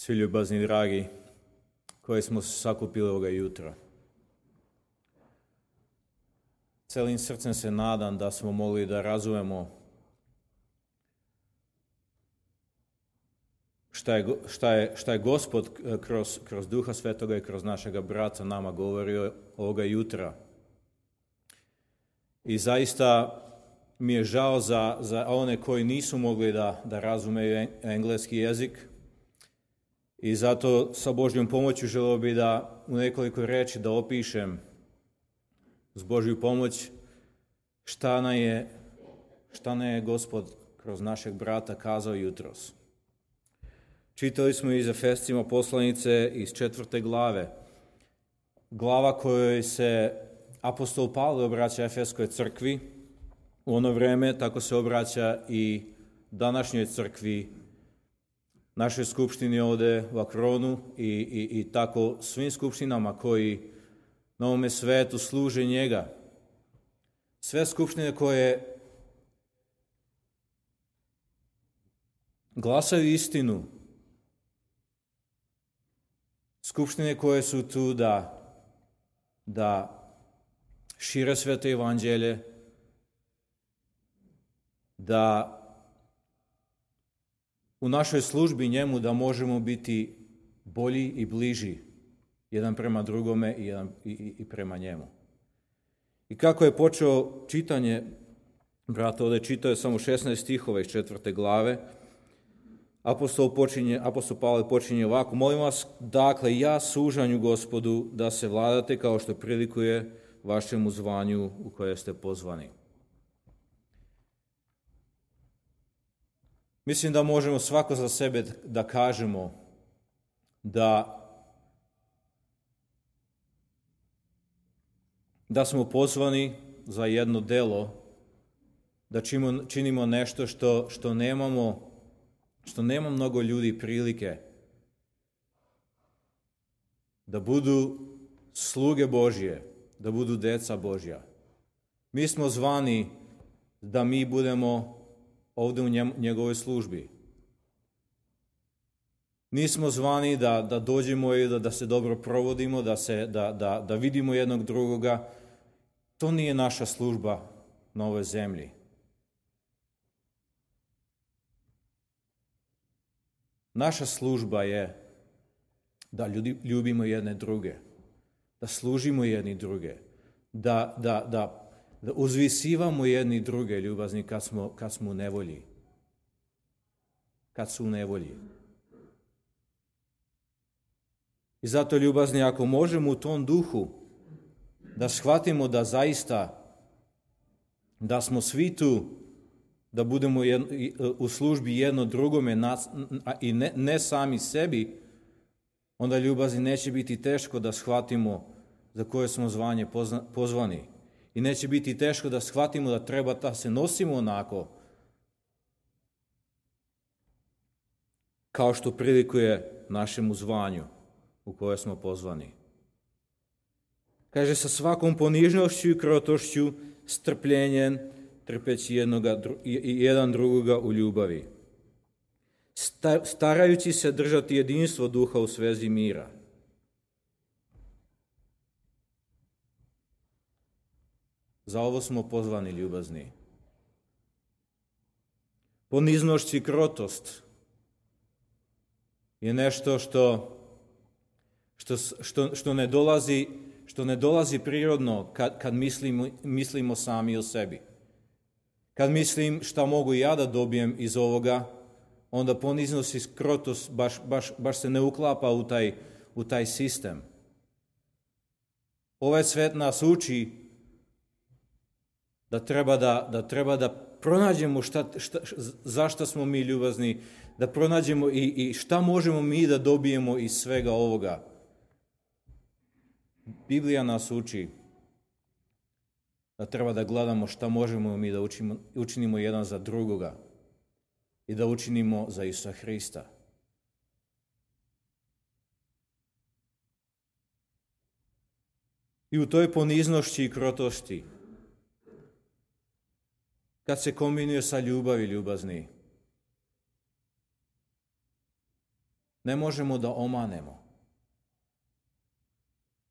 Svi ljubazni dragi koji smo se sakupili ovoga jutra. Celim srcem se nadam da smo mogli da razumemo šta je Gospod kroz Duha Svetoga i kroz našega brata nama govorio ovoga jutra. I zaista mi je žao za one koji nisu mogli da razumeju engleski jezik. I zato sa Božjom pomoću želeo bi da u nekoliko reči da opišem s Božju pomoć šta nam je Gospod kroz našeg brata kazao jutros. Čitali smo iz Efescima poslanice iz 4. glave. Glava kojoj se apostol Pavle obraća Efeskoj crkvi u ono vreme, tako se obraća i današnjoj crkvi, našoj skupštini ovde u Akronu i tako svim skupštinama koji na ovome svetu služe njega. Sve skupštine koje glasaju istinu, skupštine koje su tu da šire sveto evanđelje, da u našoj službi njemu da možemo biti bolji i bliži jedan prema drugome i prema njemu. I kako je počeo čitanje, brat ovdje čitao je samo 16 stihova iz 4. glave, apostol Pavle počinje ovako: molim vas, dakle, ja sužanju Gospodu da se vladate kao što prilikuje vašemu zvanju u koje ste pozvani. Mislim da možemo svako za sebe da kažemo da smo pozvani za jedno delo, da činimo nešto što nema mnogo ljudi prilike, da budu sluge Božje, da budu deca Božja. Mi smo zvani da mi budemo ovdje u njegovoj službi. Nismo zvani da dođemo i da se dobro provodimo, da vidimo jednog drugoga. To nije naša služba na ovoj zemlji. Naša služba je da ljubimo jedne druge, da služimo jedni druge, da uzvisivamo jedni druge, ljubazni, kad smo u nevolji. Kad su u nevolji. I zato, ljubazni, ako možemo u tom duhu da shvatimo da zaista da smo svi tu, da budemo u službi jedno drugome i ne sami sebi, onda, ljubazni, neće biti teško da shvatimo za koje smo zvanje pozvani. I neće biti teško da shvatimo da treba da se nosimo onako kao što prilikuje našemu zvanju u koje smo pozvani. Kaže, sa svakom ponižnošću i krotošću, strpljenjem, trpeći jedan drugoga u ljubavi, starajući se držati jedinstvo duha u svezi mira. Za ovo smo pozvani, ljubazni. Poniznošć i krotost je nešto što ne dolazi prirodno kad mislimo sami o sebi. Kad mislim šta mogu ja da dobijem iz ovoga, onda poniznost i krotost baš se ne uklapa u taj sistem. Ovaj svet nas uči da treba da pronađemo zašto smo mi ljubazni, da pronađemo i šta možemo mi da dobijemo iz svega ovoga. Biblija nas uči da treba da gledamo šta možemo mi da učinimo jedan za drugoga i da učinimo za Isusa Hrista. I u toj poniznošći i krotošći, kad se kombinuje sa ljubavi, ljubazni, Ne možemo da omanemo.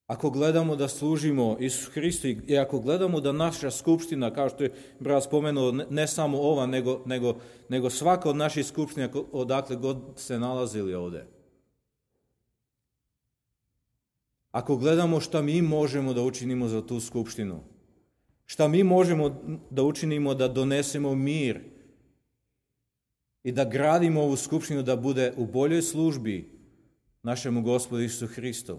Ako gledamo da služimo Isusu Hristu i ako gledamo da naša skupština, kao što je brat spomenuo, ne samo ova, nego svaka od naših skupština, odakle god se nalazili ovdje. Ako gledamo šta mi možemo da učinimo za tu skupštinu, šta mi možemo da učinimo da donesemo mir i da gradimo ovu skupštinu da bude u boljoj službi našemu Gospodu Isusu Hristu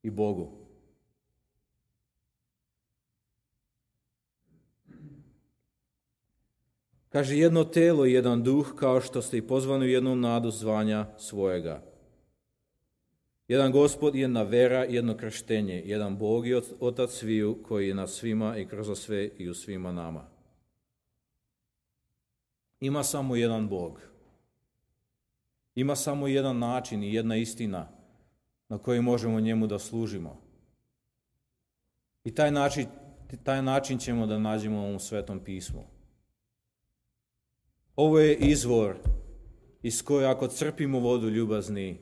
i Bogu. Kaže, jedno telo i jedan duh, kao što ste i pozvani u jednom nadu zvanja svojega. Jedan Gospod, jedna vera, jedno krštenje, jedan Bog i Otac sviju, koji je na svima i kroz sve i u svima nama. Ima samo jedan Bog. Ima samo jedan način i jedna istina na koji možemo njemu da služimo. I taj način ćemo da nađemo u ovom Svetom pismu. Ovo je izvor iz koje ako crpimo vodu ljubazni,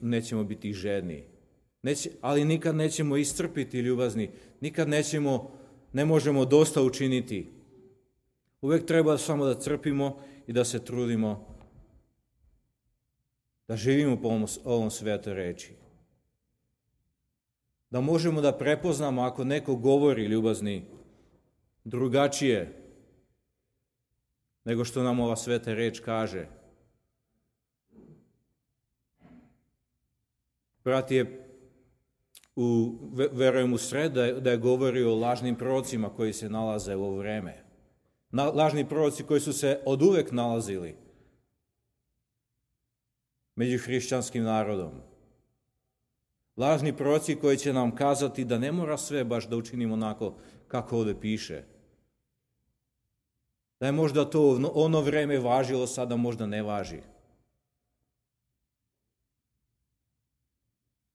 nećemo biti žedni. Ali nikad nećemo iscrpiti ljubazni, nikad ne možemo dosta učiniti. Uvijek treba samo da crpimo i da se trudimo da živimo po ovom svetoj reči. Da možemo da prepoznamo ako neko govori ljubazni drugačije nego što nam ova sveta reč kaže. Brat je verujem u sred da je govorio o lažnim prorocima koji se nalaze u ovo vreme. Lažni proroci koji su se oduvek nalazili među hrišćanskim narodom. Lažni proroci koji će nam kazati da ne mora sve baš da učinimo onako kako ovdje piše. Da je možda to ono vreme važilo, sada možda ne važi.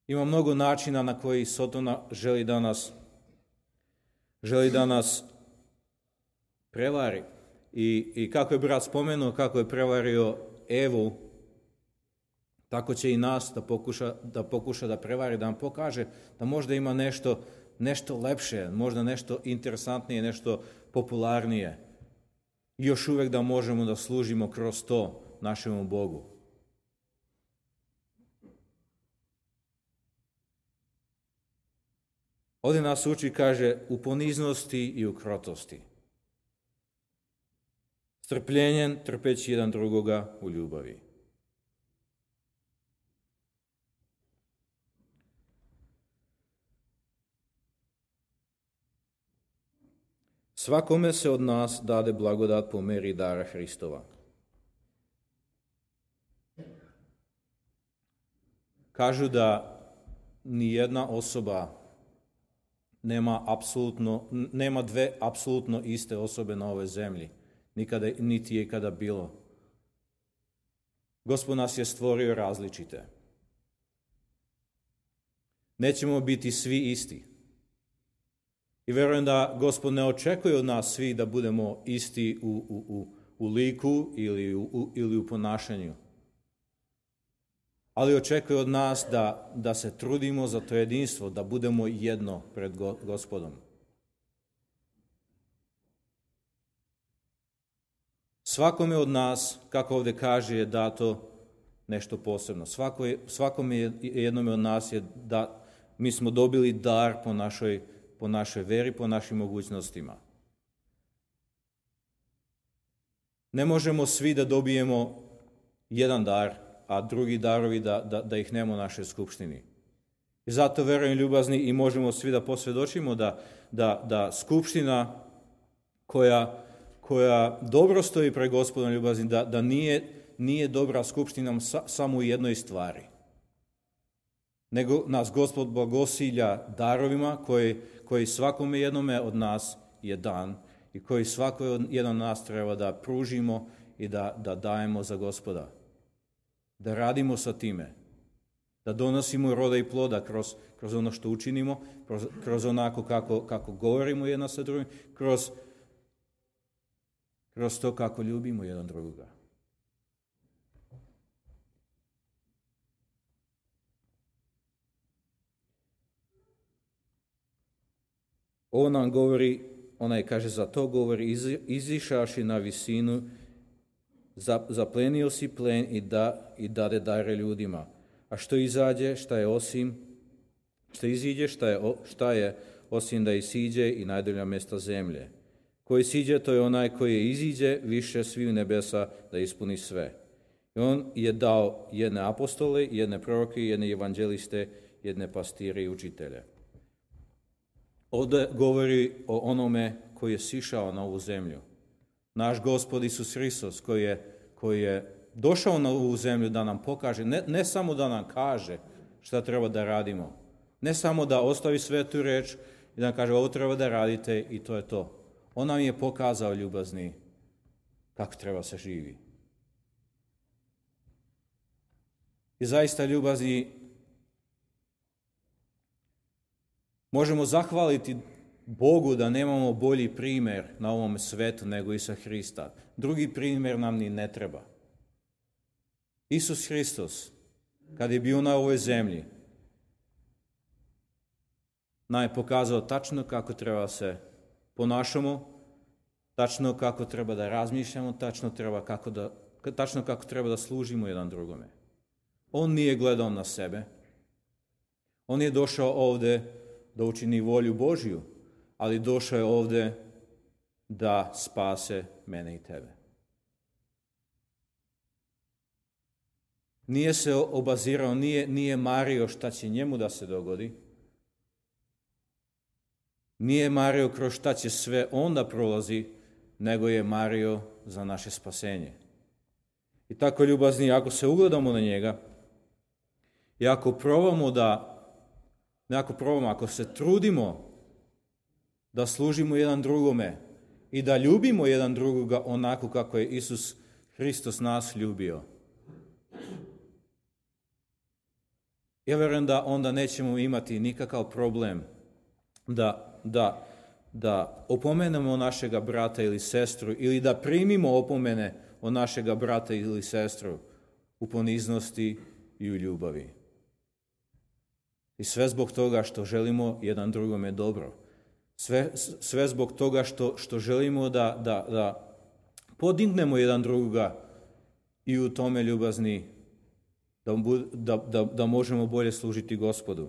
Ima mnogo načina na koji Sotona želi da nas prevari. I kako je brat spomenuo, kako je prevario Evu, tako će i nas da pokuša da prevari, da nam pokaže da možda ima nešto lepše, možda nešto interesantnije, nešto popularnije. I još uvijek da možemo da služimo kroz to našemu Bogu. Ovdje nas uči, kaže, u poniznosti i u krotosti. Strpljenjem, trpeći jedan drugoga u ljubavi. Svakome se od nas dade blagodat po meri dara Hristova. Kažu da nijedna osoba nema dve apsolutno iste osobe na ovoj zemlji. Niti je ikada bilo. Gospod nas je stvorio različite. Nećemo biti svi isti. I vjerujem da Gospod ne očekuje od nas svi da budemo isti u liku ili u ponašanju. Ali očekuje od nas da se trudimo za to jedinstvo, da budemo jedno pred Gospodom. Svakome od nas, kako ovdje kaže, je dato nešto posebno. Svakome jednome od nas je da mi smo dobili dar po našoj veri, po našim mogućnostima. Ne možemo svi da dobijemo jedan dar, a drugi darovi da ih nema u našoj skupštini. I zato verujem ljubazni i možemo svi da posvjedočimo da skupština koja dobro stoji pred Gospodom ljubazni, da nije dobra skupština samo u jednoj stvari. Nego nas Gospod blagosilja darovima koji svakome jednome od nas je dan i koji svako jedan od nas treba da pružimo i da dajemo za Gospoda. Da radimo sa time. Da donosimo roda i ploda kroz ono što učinimo, kroz onako kako govorimo jedna sa drugim, kroz to kako ljubimo jedan drugoga. On nam govori, onaj kaže, za to govori, izišavši na visinu, zaplenio si plen i dade dare ljudima. A što izađe, šta je osim da isiđe i najdolja mjesta zemlje. Koji siđe, to je onaj koji iziđe više svih nebesa da ispuni sve. I on je dao jedne apostole, jedne proroke, jedne evanđeliste, jedne pastire i učitelje. Ovdje govori o onome koji je sišao na ovu zemlju. Naš Gospod Isus Hristos koji je došao na ovu zemlju da nam pokaže, ne samo da nam kaže šta treba da radimo, ne samo da ostavi svetu reč i da nam kaže ovo treba da radite i to je to. On nam je pokazao, ljubazni, kako treba se živi. I zaista, ljubazni, možemo zahvaliti Bogu da nemamo bolji primjer na ovom svetu nego Isusa Hrista. Drugi primjer nam ni ne treba. Isus Hristos, kad je bio na ovoj zemlji, nam je pokazao tačno kako treba se ponašamo, tačno kako treba da razmišljamo, tačno kako treba da služimo jedan drugome. On nije gledao na sebe. On je došao ovdje da učini volju Božju, ali došao je ovdje da spase mene i tebe. Nije se obazirao, nije mario šta će njemu da se dogodi. Nije mario kroz šta će sve onda prolazi, nego je mario za naše spasenje. I tako, ljubazni, ako se ugledamo na njega i ako ako se trudimo da služimo jedan drugome i da ljubimo jedan drugoga onako kako je Isus Hristos nas ljubio, ja vjerujem da onda nećemo imati nikakav problem da opomenemo našega brata ili sestru ili da primimo opomene od našega brata ili sestru u poniznosti i u ljubavi. I sve zbog toga što želimo jedan drugome dobro. Sve zbog toga što želimo da podignemo jedan drugoga i u tome, ljubazni, da možemo bolje služiti Gospodu.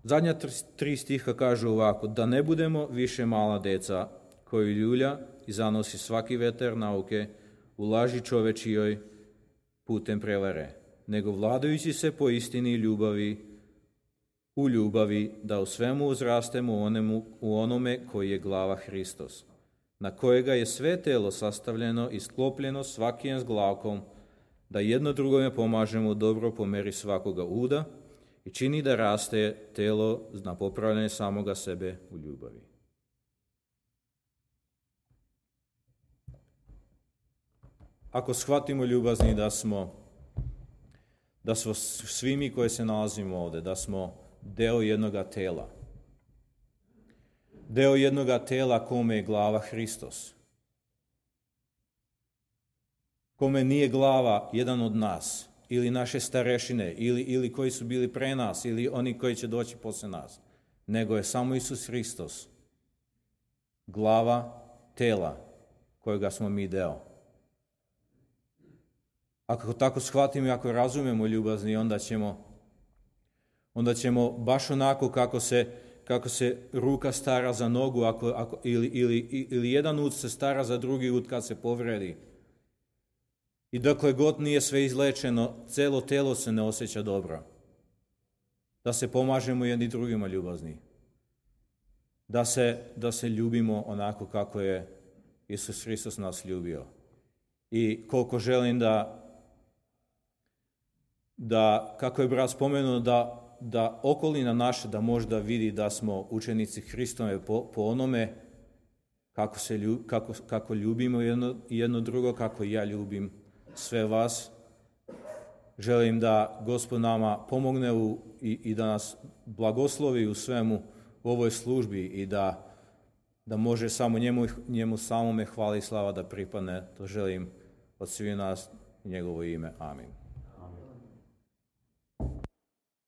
Zadnja 3 stiha kažu ovako: da ne budemo više mala deca koji ljulja i zanosi svaki vetar nauke u laži čovečijoj putem prevare, nego vladajući se po istini i u ljubavi, da u svemu uzrastemo u onome koji je glava Hristos, na kojega je sve telo sastavljeno i sklopljeno svakim zglavkom, da jedno drugome pomažemo dobro po meri svakoga uda i čini da raste telo na popravljanje samoga sebe u ljubavi. Ako shvatimo, ljubazni, da smo svi mi koji se nalazimo ovdje, da smo deo jednoga tela. Deo jednoga tela kome je glava Hristos. Kome nije glava jedan od nas, ili naše starešine, ili koji su bili pre nas, ili oni koji će doći posle nas, nego je samo Isus Hristos, glava tela kojega smo mi deo. Ako tako shvatimo i ako razumemo, ljubazni, onda ćemo baš onako kako se ruka stara za nogu, ili jedan ud se stara za drugi ud kad se povredi. I dokle god nije sve izlečeno, celo telo se ne osjeća dobro. Da se pomažemo jedni drugima, ljubazni. Da se ljubimo onako kako je Isus Hristos nas ljubio. I koliko želim da kako je brat spomenuo, da okolina naša da možda vidi da smo učenici Hristove po onome kako ljubimo jedno drugo, kako ja ljubim sve vas. Želim da Gospod nama pomogne i da nas blagoslovi u svemu u ovoj službi i da može samo njemu samome hvala i slava da pripadne. To želim od svih nas u njegovo ime. Amin.